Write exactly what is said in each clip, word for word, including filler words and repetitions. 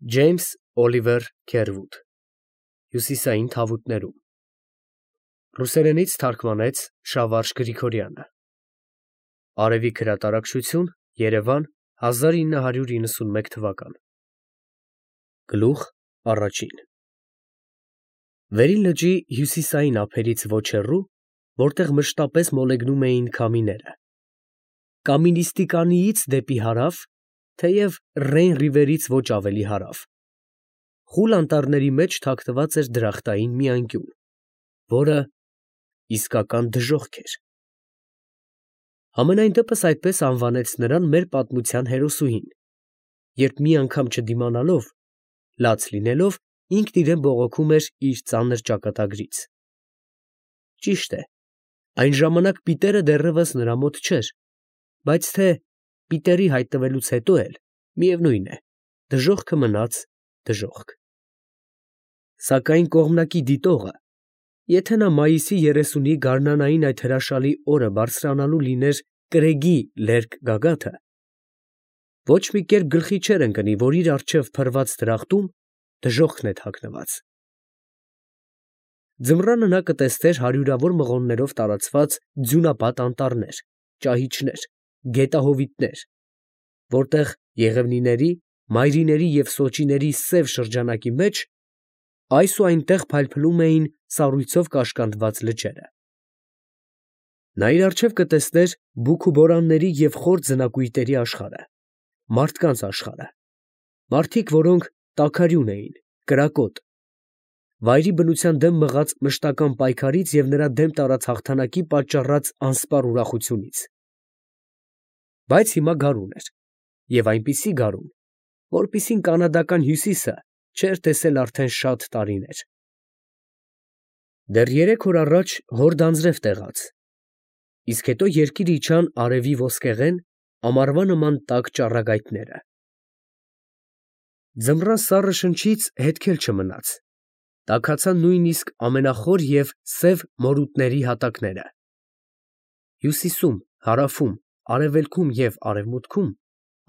Ջեյմս Օլիվեր Քերվուդ Հյուսիսային թավուտներում Ռուսերենից թարգմանեց Շավարժ Գրիգորյանը Արևիկ հրատարակչություն Երևան հազար ինը հարյուր իննսունմեկ թվական Գլուխ առաջին Վերին լճի հյուսիսային ափերից ոչ հեռու, որտեղ մշտապես մոլեգնում էին քամիները, Կամինիստիկանիից դեպի հարավ, թեև Ռեյն ռիվերից ոչ ավելի հարավ, խուլ անտառների մեջ թաքնված էր դրախտային մի անկյուն, որը իսկական դժոխք էր։ Համենայն դեպս այդպես անվանեց նրան մեր պատմության հերոսուհին, երբ մի անգամ չդիմանալով, լաց լինելով, ինքն իրեն բողոքում էր իր ծանր ճակատագրից։ Ճիշտ է, այն ժամանակ պիտերը դեռևս նրա մոտ չէր, բայց թե պիտերի հայտնվելուց հետո էլ, միևնույն է, դժոխքը մնաց դժոխք։ Սակայն կողմնակի դիտողը, եթե նա մայիսի երեսունի գարնանային այդ հրաշալի օրը բարձրանալու լիներ կրեգի լերկ գագաթը, ոչ մի կերպ գլխի չէր ընկնի, որ իր առջև փռված դրախտում դժոխքն է թաքնված։ Ձմռանը նա կտեսներ հարյուրավոր մղոններով տարածված ձյունապատ անտառներ, ճահիճներ, գետահովիտներ, որտեղ եղևնիների, մայրիների և սոճիների սև շրջանակի մեջ այս ու այնտեղ փայլփլում էին սառույցով կաշկանդված լճերը։ Նա իր առջև կտեսներ բուք ու բորանների և խոր ձնակույտերի աշխարհը, մարդկանց աշխարհը, մարդիկ, որոնք տաքարյուն էին, կրակոտ, վայրի բնության դեմ մղած մշտական պայքարից և նրա դեմ տարած հաղթանակի պատճառած անսպառ ուրախությունից։ Բայց հիմա գարուն էր, և այնպիսի գարուն, որպիսին կանադական հյուսիսը չէր տեսել արդեն շատ տարիներ։ Դեռ երեք օր առաջ հորդ անձրև տեղաց, իսկ հետո երկիր իջան արևի ոսկեղեն, ամառվա նման տաք ճառագայթները։ Ձմռան սառը շնչից հետք էլ չմնաց, տաքացան նույնիսկ ամենախոր և սև մորութների հատակները։ Հյուսիսում, հարավում, արևելքում և արևմուտքում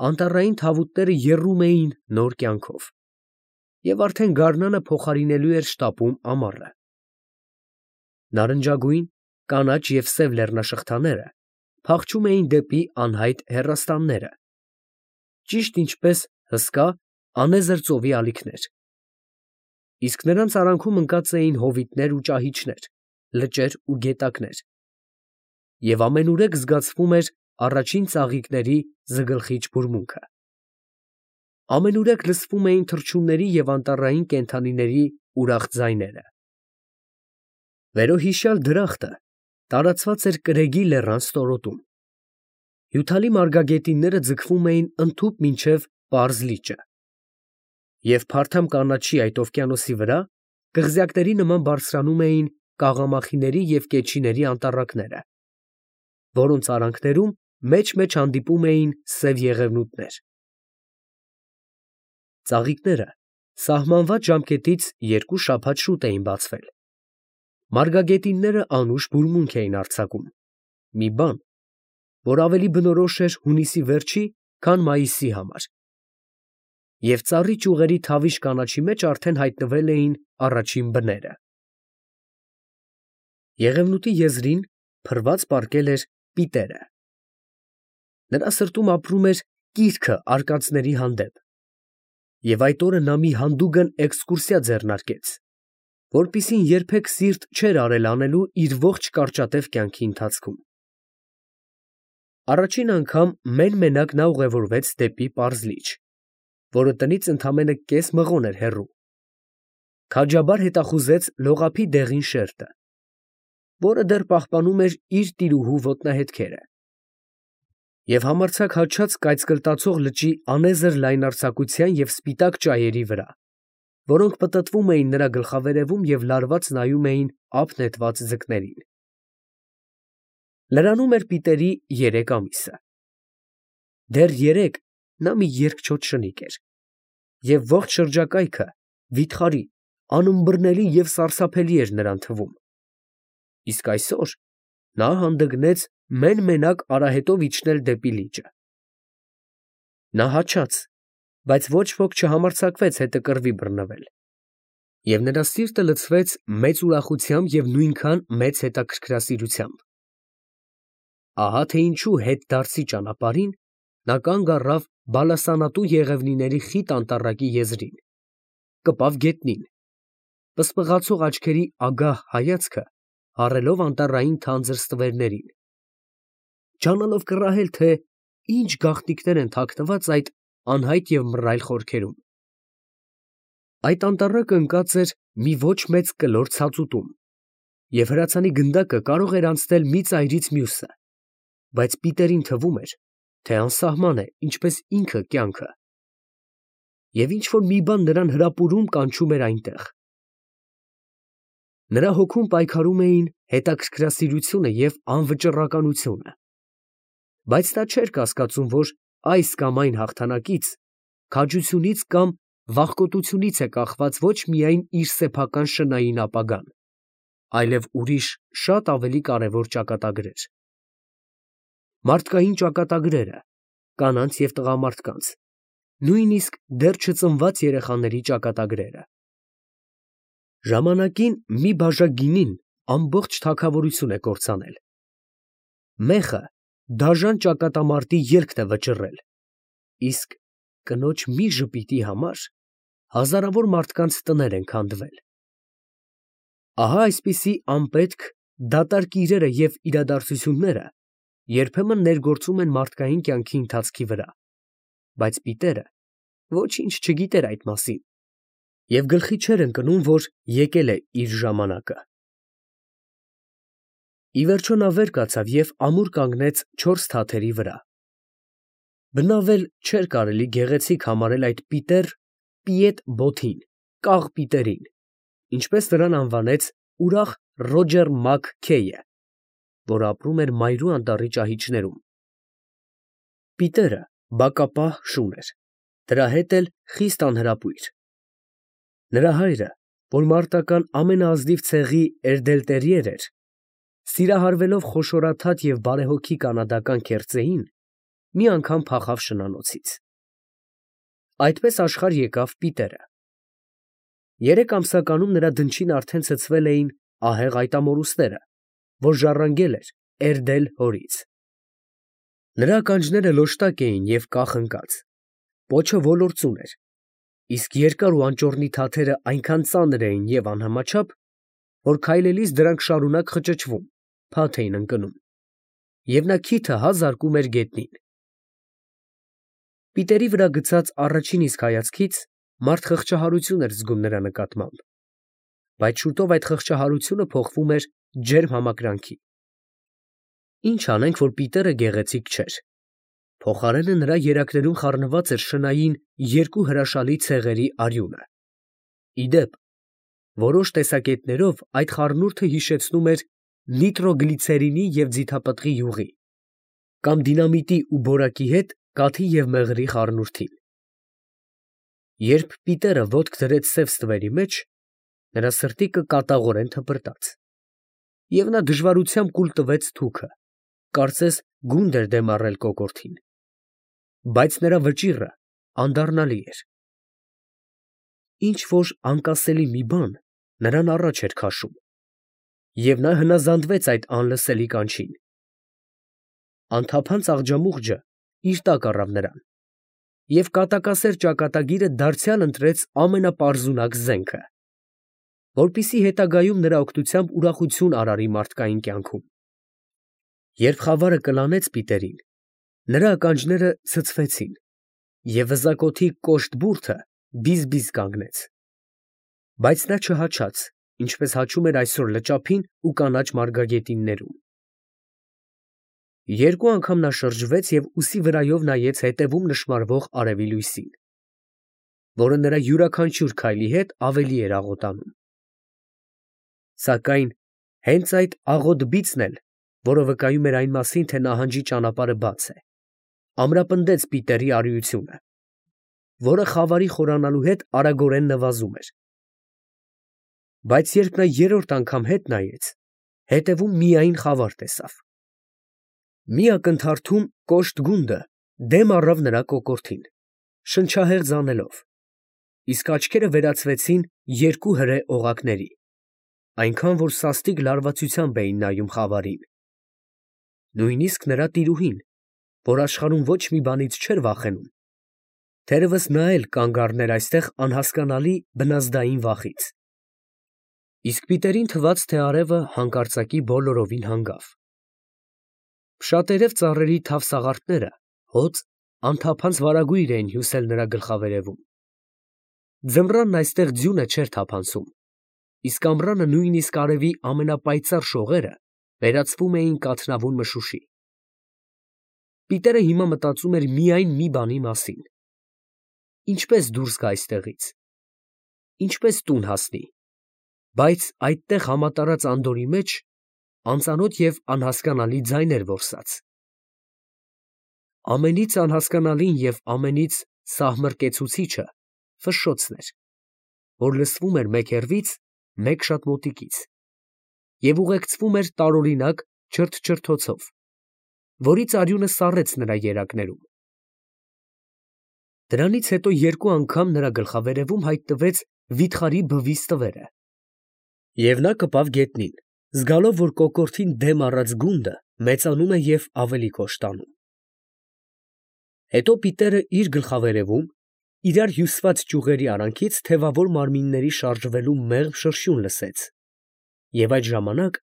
անտառային թավուտները եռում էին նոր կյանքով, և արդեն գարնանը փոխարինելու էր շտապում ամառը։ Նարնջագույն, կանաչ և սև լեռնաշղթաները փախչում էին դեպի անհայտ հեռաստանները, ճիշտ ինչպես հսկա, անեզր ծովի ալիքներ, իսկ նրանց արանքում ընկած էին հովիտներ ու ճահիճներ, լճեր ու գետակներ, և ամենուրեք զգացվում էր առաջին ծաղիկների զգլխիչ բուրմունքը։ Ամենուրեք լսվում էին թռչունների և անտառային կենդանիների ուրախ ձայները։ Վերոհիշյալ դրախտը տարածված էր կրեգի լեռան ստորոտում։ Հյութալի մարգագետինները ձգվում էին ընդհուպ մինչև պարզ լիճը, և փարթամ կանաչի այդ օվկիանոսի վրա կղզյակների նման բարձրանում էին կաղամախիների և կեչիների անտառակները, որոնց արանքներում մեջ֊մեջ հանդիպում էին սև եղևնուտներ։ Ծաղիկները սահմանված ժամկետից երկու շաբաթ շուտ էին բացվել։ Մարգագետինները անուշ բուրմունք էին արձակում, մի բան, որ ավելի բնորոշ էր հունիսի վերջի, քան մայիսի համար, և ծառի ճյուղերի թավիշ կանաչի մեջ արդեն հայտնվել էին առաջին բները։ Եղևնուտի եզրին փռված պառկել էր պիտերը։ Նրա սրտում ապրում էր կիրքը արկածների հանդեպ, և այդ օրը նա մի հանդուգն էքսկուրսիա ձեռնարկեց, որպիսին երբեք սիրտ չէր արել անելու իր ողջ կարճատև կյանքի ընթացքում։ Առաջին անգամ մեն֊մենակ նա ուղևորվեց դեպի պարզ լիճ, որը տնից ընդամենը կես մղոն էր հեռու, քաջաբար հետախուզեց լողափի դեղին շերտը, որը դեռ պահպանում էր իր տիրուհու ոտնահետքերը, և համարձակ հաչաց կայծկլտացող լճի անեզր լայնարձակության և սպիտակ ճայերի վրա, որոնք պտտվում էին նրա գլխավերևում և լարված նայում էին ափ նետված ձկներին։ Լրանում էր պիտերի երեք ամիսը։ Դեռ երեկ նա մի երկչոտ շնիկ էր, և ողջ շրջակայքը վիթխարի, անըմբռնելի և սարսափելի էր նրան թվում, իսկ այսօր նա հանդգնեց մեն֊մենակ արահետով իջնել դեպի լիճը։ Նա հաչաց, բայց ոչ ոք չհամարձակվեց հետը կռվի բռնվել, և նրա սիրտը լցվեց մեծ ուրախությամբ և նույնքան մեծ հետաքրքրասիրությամբ։ Ահա թե ինչու հետդարձի ճանապարհին նա կանգ առավ բալասանատու եղևնիների խիտ անտառակի եզրին, կպավ գետնին, պսպղացող աչքերի ագահ հայացքը հառելով անտառային թանձր ստվերներին, ջանալով կռահել, թե ինչ գաղտնիքներ են թաքնված այդ անհայտ և մռայլ խորքերում։ Այդ անտառակը ընկած էր մի ոչ մեծ կլոր ցածուտում, և հրացանի գնդակը կարող էր անցնել մի ծայրից մյուսը, բայց Պիտերին թվում էր, թե անսահման է, ինչպես ինքը կյանքը, և ինչ֊որ մի բան նրան հրապուրում կանչում էր այնտեղ։ Նրա հոգում պայքարում էին հետաքրքրասիրությունը և անվճռականությունը, բայց նա չէր կասկածում, որ այս կամ այն հաղթանակից, քաջությունից կամ վախկոտությունից է կախված ոչ միայն իր սեփական շնայհին ապագան, այլև ուրիշ շատ ավելի կարևոր ճակատագրեր. մարդկային ճակատագրերը, կանանց և տղամարդկանց, նույնիսկ դեռ չծնված երեխաների ճակատագրերը։ Ժամանակին մի բաժակ գինին ամբողջ թագավորություն է կործանել։ Մեղը դաժան ճակատամարտի ելքն է վճռել, իսկ կնոջ մի ժպիտի համար հազարավոր մարդկանց տներ են քանդվել։ Ահա այսպիսի անպետք, դատարկ իրերը և իրադարձությունները երբեմն ներգործում են մարդկային կյանքի ընթացքի վրա, բայց Պիտերը ոչինչ չգիտեր այդ մասին և գլխի չէր ընկնում, որ եկել է իր ժամանակը։ Ի վերջո նա վեր կացավ և ամուր կանգնեց չորս թաթերի վրա։ Բնավ էլ չէր կարելի գեղեցիկ համարել այդ պիտեր Պիետ Բոթին, կաղ Պիտերին, ինչպես նրան անվանեց ուրախ Ռոջեր Մակ Քեյը, որ ապրում էր Մայրու անտառի ճահիճներում։ Պիտերը բակապահ շուն էր, դրա հետ էլ խիստ անհրապույր։ Նրա հայրը, որ մարտական ամենաազնիվ ցեղի էրդելտերիեր էր, սիրահարվելով խոշորաթաթ և բարեհոգի կանադական քերծեին, մի անգամ փախավ շնանոցից։ Այդպես աշխարհ եկավ Պիտերը։ Երեք ամսականում նրա դնչին արդեն ցցվել էին ահեղ այտամորուստները, որ ժառանգել էր Էրդել հորից։ Նրա ականջները լոշտակ էին և կախ ընկած, պոչը ոլործուն էր, իսկ երկար ու անճոռնի թաթերը այնքան ծանր էին և անհամաչափ, որ քայլելիս դրանք շարունակ խճճվում, փաթ էին ընկնում, և նա քիթը հա զարկում էր գետնին։ Պիտերի վրա գցած առաջին իսկ հայացքից մարդ խղճահարություն էր զգում նրա նկատմամբ, բայց շուտով այդ խղճահարությունը փոխվում էր ջերմ համակրանքի։ Ինչ անենք, որ Պիտերը գեղեցիկ չէր, փոխարենը նրա երակներում խառնված էր շնային երկու հրաշալի ցեղերի արյունը։ Ի դեպ, որոշ տեսակետներով այդ խառնուրդը հիշեցնում էր նիտրոգլիցերինի և ձիթապտղի յուղի կամ դինամիտի ու բորակի հետ կաթի և մեղրի խառնուրդին։ Երբ Պիտերը ոտք դրեց սև ստվերի մեջ, նրա սրտիկը կատաղորեն թպրտաց, և նա դժվարությամբ կուլ տվեց թուքը, կարծես գունդ էր դեմ առել կոկորդին, բայց նրա վճիռը անդառնալի էր։ Ինչ֊որ անկասելի մի բան նրան առաջ էր քաշում, և նա հնազանդվեց այդ անլսելի կանչին։ Անթափանց աղջամուղջը իր տակ առավ նրան, և կատակասեր ճակատագիրը դարձյալ ընտրեց ամենապարզունակ զենքը, որպեսզի հետագայում նրա օգնությամբ ուրախություն արարի մարդկային կյանքում։ Երբ խավարը կլանեց Պիտերին, նրա ականջները ցցվեցին, և վզակոթի կոշտ բուրդը բիզ֊բիզ կանգնեց, բայց նա չհաչաց, ինչպես հաչում էր այսօր լճափին ու կանաչ մարգագետիններում։ Երկու անգամ նա շրջվեց և ուսի վրայով նայեց հետևում նշմարվող արևի լույսին, որը նրա յուրաքանչյուր քայլի հետ ավելի էր աղոտանում։ Սակայն հենց այդ աղոտ բիծն էլ, որը վկայում էր այն մասին, թե նահանջի ճանապարհը բաց է, ամրապնդեց Պիտերի արիությունը, որը խավարի խորանալու հետ արագորեն նվազում էր։ Բայց երբ նա երրորդ անգամ հետ նայեց, հետևում միայն խավար տեսավ։ Մի ակնթարթում կոշտ գունդը դեմ առավ նրա կոկորդին, շնչահեղձ անելով, իսկ աչքերը վերածվեցին երկու հրե օղակների, այնքան որ սաստիկ լարվածությամբ էին նայում խավարին. նույնիսկ նրա տիրուհին, որ աշխարհում ոչ մի բանից չէր վախենում, թերևս նա էլ կանգ առներ այստեղ անհասկանալի բնազդային վախից։ Իսկ Պիտերին թվաց, թե արևը հանկարծակի բոլորովին հանգավ։ Փշատերև ծառերի թավ սաղարթները հոծ, անթափանց վարագույր էին հյուսել նրա գլխավերևում։ Ձմռանն այստեղ ձյունը չէր թափանցում, իսկ ամռանը նույնիսկ արևի ամենապայծառ շողերը վերածվում էին կաթնավուն մշուշի։ Պիտերը հիմա մտածում էր միայն մի բանի մասին. ինչպես դուրս գա այստեղից, ինչպես տուն հասնի, բայց այդտեղ համատարած անդորի մեջ անծանոթ և անհասկանալի ձայներ որսաց։ Ամենից անհասկանալին և ամենից սահմռկեցուցիչը ֆշշոցն էր, որ լսվում էր մեկ հեռվից, մեկ շատ մոտիկից, և ուղեկցվում էր տարօրինակ չրթչրթոցով, որից արյունը սառեց նրա երակներում։ Դրանից հետո երկու անգամ նրա գլխավերևում հայտնվեց վիթխարի բվի ստվերը, և նա կպավ գետնին, զգալով, որ կոկորդին դեմ առած գունդը մեծանում է և ավելի կոշտանում։ Հետո Պիտերը իր գլխավերևում, իրար հյուսված ճյուղերի արանքից թևավոր մարմինների շարժվելու մեղմ շրշյուն լսեց, և այդ ժամանակ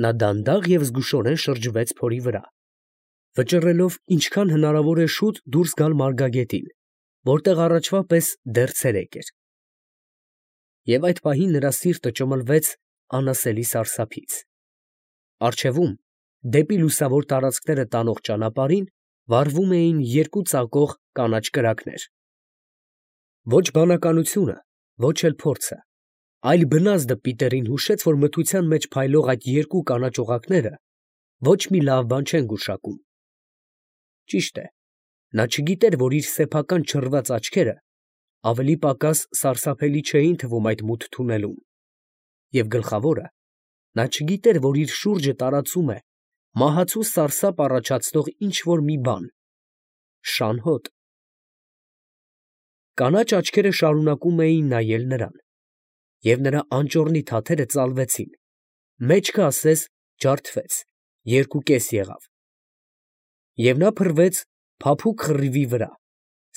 նա դանդաղ և զգուշորեն շրջվեց փորի վրա, վճռելով ինչքան հնարավոր է շուտ դուրս գալ մարգագետին, որտեղ առաջվա պես դեռ ցերեկ էր։ Եվ այդ պահին նրա սիրտը ճմլվեց անասելի սարսափից։ Առջևում, դեպի լուսավոր տարածքները տանող ճանապարհին վառվում էին երկու ծակող կանաչ կրակներ։ Ոչ բանականությունը, ոչ էլ փորձը, այլ բնազդը Պիտերին հուշեց, որ մթության մեջ փայլող այդ երկու կանաչ օղակները ոչ մի լավ բան չեն գուշակում։ Ճիշտ է, նա չգիտեր, որ իր սեփական չռված աչքերը ավելի պակաս սարսափելի չէին թվում այդ մութ թունելում, և գլխավորը, նա չգիտեր, որ իր շուրջը տարածում է մահացու սարսափ առաջացնող ինչ֊որ մի բան, շան հոտ։ Կանաչ աչքերը շարունակում էին նայել նրան, և նրա անճոռնի թաթերը ծալվեցին, մեջքը ասես ջարդվեց, երկուկես եղավ, և նա փռվեց փափուկ խռիվի վրա,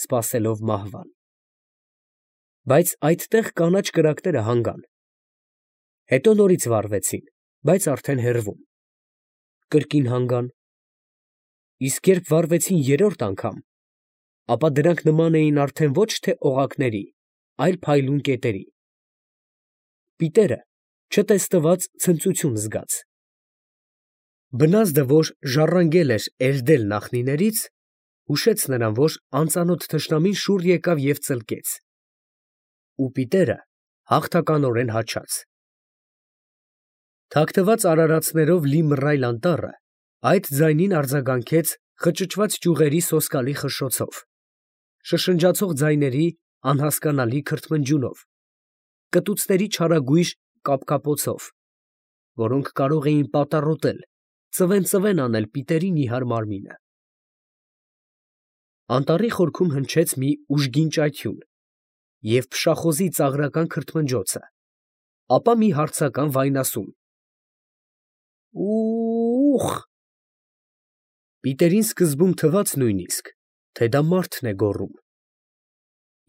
սպասելով մահվան։ Բայց այդտեղ կանաչ կրակները հանգան, հետո նորից վառվեցին, բայց արդեն հեռվում, կրկին հանգան, իսկ երբ վառվեցին երրորդ անգամ, ապա դրանք նման էին արդեն ոչ թե օղակների, այլ փայլուն կետերի։ Պիտերը չտեսնված ցնծություն զգաց։ Բնազդը, որ ժառանգել էր էրդել նախնիներից, հուշեց նրան, որ անծանոթ թշնամին շուռ եկավ և ծլկեց, ու Պիտերը հաղթականորեն հաչաց։ Թաքնված արարածներով լի մռայլ անտառը այդ ձայնին արձագանքեց խճճված ճյուղերի սոսկալի խշշոցով, շշնջացող ձայների անհասկանալի քրթմնջյունով, կտուցների չարագույժ կապկապոցով, որոնք կարող էին պատառոտել, ծվեն֊ծվեն անել Պիտերի նիհար մարմինը։ Անտառի խորքում հնչեց մի ուժգին ճայթյուն և փշախոզի ծաղրական քրթմնջոցը, ապա մի հարցական վայնասուն. «Ո՜ւ՜խ»։ Պիտերին սկզբում թվաց նույնիսկ, թե դա մարդն է գոռում,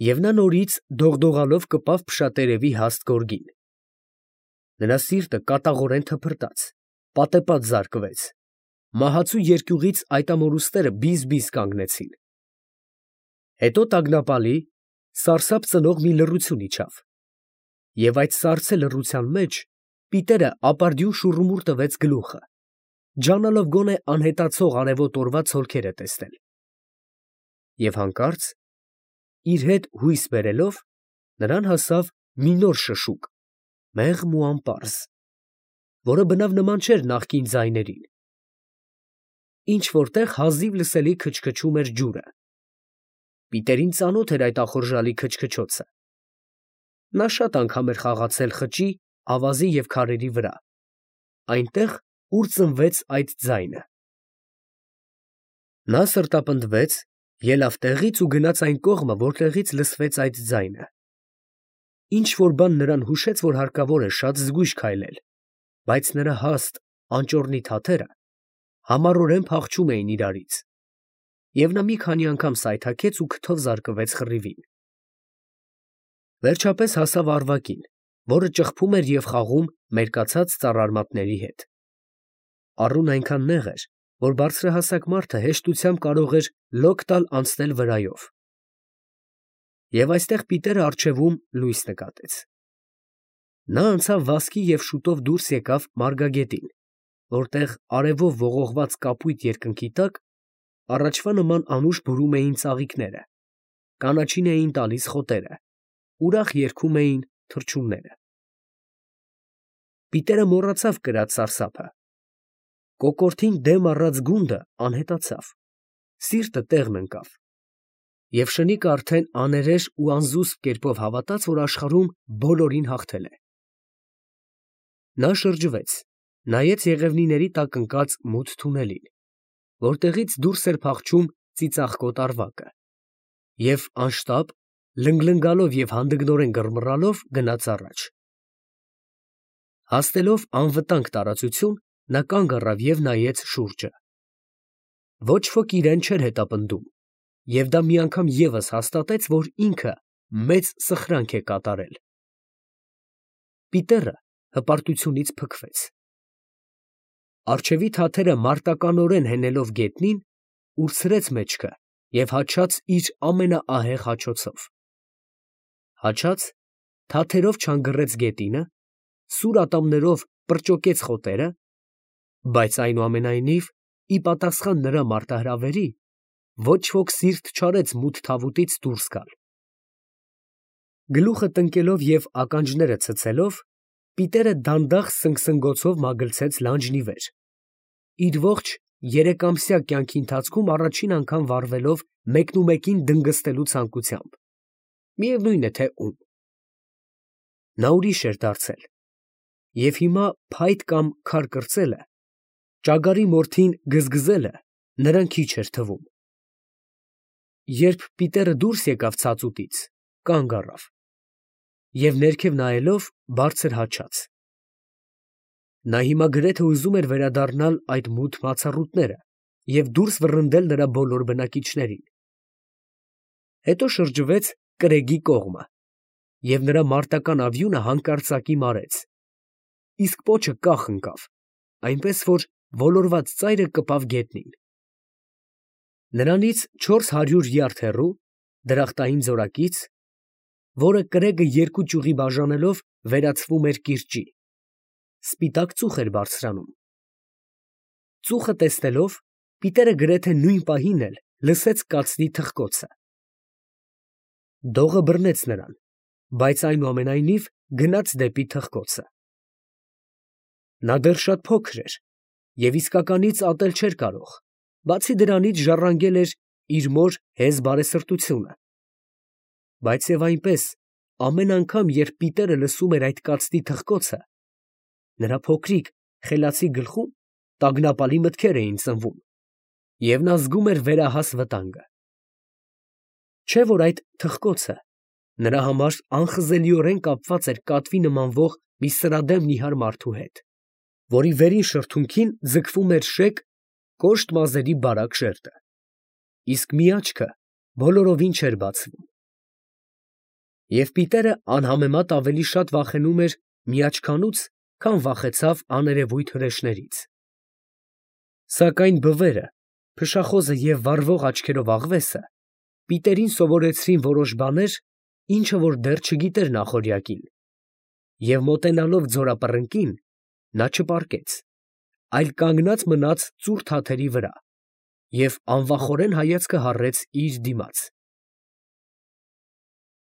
և նա նորից դողդողալով կպավ փշատերևի հաստ գորգին։ Նրա սիրտը կատաղորեն թփրտաց, պատեպատ զարկվեց, մահացու երկյուղից այդ ամորուստները բիզ֊բիզ կանգնեցին։ Հետո տագնապալի, սարսափ ծնող մի լռություն իջավ, և այդ սառցե լռության մեջ Պիտերը ապարդյուն շուռումուռ տվեց գլուխը, ջանալով գոնե անհետացող արևոտ օրվա ցոլքերը տեսնել։ Եվ հանկարծ, իր հետ հույս բերելով, նրան հասավ մի նոր շշուկ, մեղմ ու անպարզ, որը բնավ նման չէր նախկին ձայներին. ինչ֊որ տեղ հազիվ լսելի քչքչում էր ջուրը։ Պիտերին ծանոթ էր այդ ախորժալի քչքչոցը. նա շատ անգամ էր խաղացել խճի, ավազի և քարերի վրա, այնտեղ, ուր ծնվեց այդ ձայնը։ Նա սրտապնդվեց Ելավ տեղից ու գնաց այն կողմը, որտեղից լսվեց այդ ձայնը։ Ինչ որ բան նրան հուշեց, որ հարկավոր է շատ զգույշ քայլել, բայց նրա հաստ, անճոռնի թաթերը համառորեն փախչում էին իրարից, և նա մի քանի անգամ սայթաքեց ու քթով զարկվեց խռիվին։ Վերջապես հասավ Արվակին, որը ճխփում էր և խաղում մերկացած ծառարմատների հետ։ Առուն այնքան նեղ էր, որ բարձրահասակ մարդը հեշտությամբ կարող էր լոկ տալ անցնել վրայով։ Եվ այստեղ Պիտերը առջևում լույս նկատեց։ Նա անցավ վազքի և շուտով դուրս եկավ մարգագետին, որտեղ արևով ողողված կապույտ երկնքի տակ առաջվա նման անուշ բուրում էին ծաղիկները, կանաչին էին տալիս խոտերը, ուրախ երգում էին թռչունները։ Պիտերը մոռացավ կրած սարսափը։ Կոկորդին դեմ առած գունդը անհետացավ, սիրտը տեղն ընկավ, և շնիկը արդեն աներեշ ու անզուսպ կերպով հավատաց, որ աշխարհում բոլորին հաղթել է։ Նա շրջվեց, նայեց եղևնիների տակ ընկած մութ թունելին, որտեղից դուրս էր փախչում ծիծաղկոտ Արվակը, և անշտապ, լնգլնգալով և հանդգնորեն գրմռալով գնաց առաջ։ Հասնելով անվտանգ տարածություն, նա կանգ առավ և նայեց շուրջը։ Ոչ ոք իրան չէր հետապնդում, և դա մի անգամ ևս հաստատեց, որ ինքը մեծ սխրանք է կատարել։ Պիտերը հպարտությունից փքվեց։ Առջևի թաթերը մարտականորեն հենելով գետնին, ուրցրեց մեջքը և հաչաց իր ամենաահեղ հաչոցով։ Հաչաց, թաթերով չանգռեց գետինը, սուր ատամներով պրճոկեց խոտերը, բայց այնուամենայնիվ, ի պատասխան նրա մարտահրավերի, ոչ ոք սիրտ չարեց մութ թավուտից դուրս գալ։ Գլուխը տնկելով և ականջները ցցելով, Պիտերը դանդաղ սնգսնգոցով մագլցեց լանջն ի վեր, իր ողջ երեկամսյա կյանքի ընթացքում առաջին անգամ վարվելով մեկնումեկին դնգստելու ցանկությամբ, միևնույն է թե ում։ Նա ուրիշ էր դարձել, և հիմա փայտ կամ քար կրծելը, ճագարի մորթին գզգզելը նրան քիչ էր թվում։ Երբ Պիտերը դուրս եկավ ցածուտից, կանգ առավ և ներքև նայելով բարձր հաչաց։ Նա հիմա գրեթե ուզում էր վերադառնալ այդ մութ մացառուտները և դուրս վռնդել նրա բոլոր բնակիչներին։ Հետո շրջվեց կրեգի կողմը, և նրա մարտական ավյունը հանկարծակի մարեց, իսկ պոչը կախ ընկավ, այնպես որ ոլորված ծայրը կպավ գետնին։ Նրանից չորս հարյուր յարդ հեռու, դրախտային ձորակից, որը կրեգը երկու ճյուղի բաժանելով վերածվում էր կիրճի, սպիտակ ծուխ էր բարձրանում։ Ծուխը տեսնելով, Պիտերը գրեթե նույն պահին էլ լսեց կացնի թխկոցը։ Դողը բռնեց նրան, բայց այնուամենայնիվ գնաց դեպի թխկոցը։ Նա դեռ շատ փոքր էր և իսկականից ատել չէր կարող, բացի դրանից ժառանգել էր իր մոր հեզ բարեսրտությունը։ Բայց և այնպես, ամեն անգամ, երբ Պիտերը լսում էր այդ կացնի թխկոցը, նրա փոքրիկ, խելացի գլխում տագնապալի մտքեր էին ծնվում, և նա զգում էր վերահաս վտանգը։ Չէ՞ որ այդ թխկոցը նրա համար անխզելիորեն կապված էր կատվի նմանվող մի սրադեմ նիհար մարդու հետ, որի վերին շրթունքին ձգվում էր շեկ, կոշտ մազերի բարակ շերտը, իսկ մի աչքը բոլորովին չէր բացվում։ Եվ Պիտերը անհամեմատ ավելի շատ վախենում էր մի աչքանուց, քան վախեցավ աներևույթ հրեշներից։ Սակայն բվերը, փշախոզը և վառվող աչքերով աղվեսը Պիտերին սովորեցրին որոշ բաներ, ինչը որ դեռ չգիտեր նախօրյակին, և մոտենալով ձորապռնկին, նա չպառկեց, այլ կանգնած մնաց ծուռ թաթերի վրա և անվախորեն հայացքը հառեց իր դիմաց։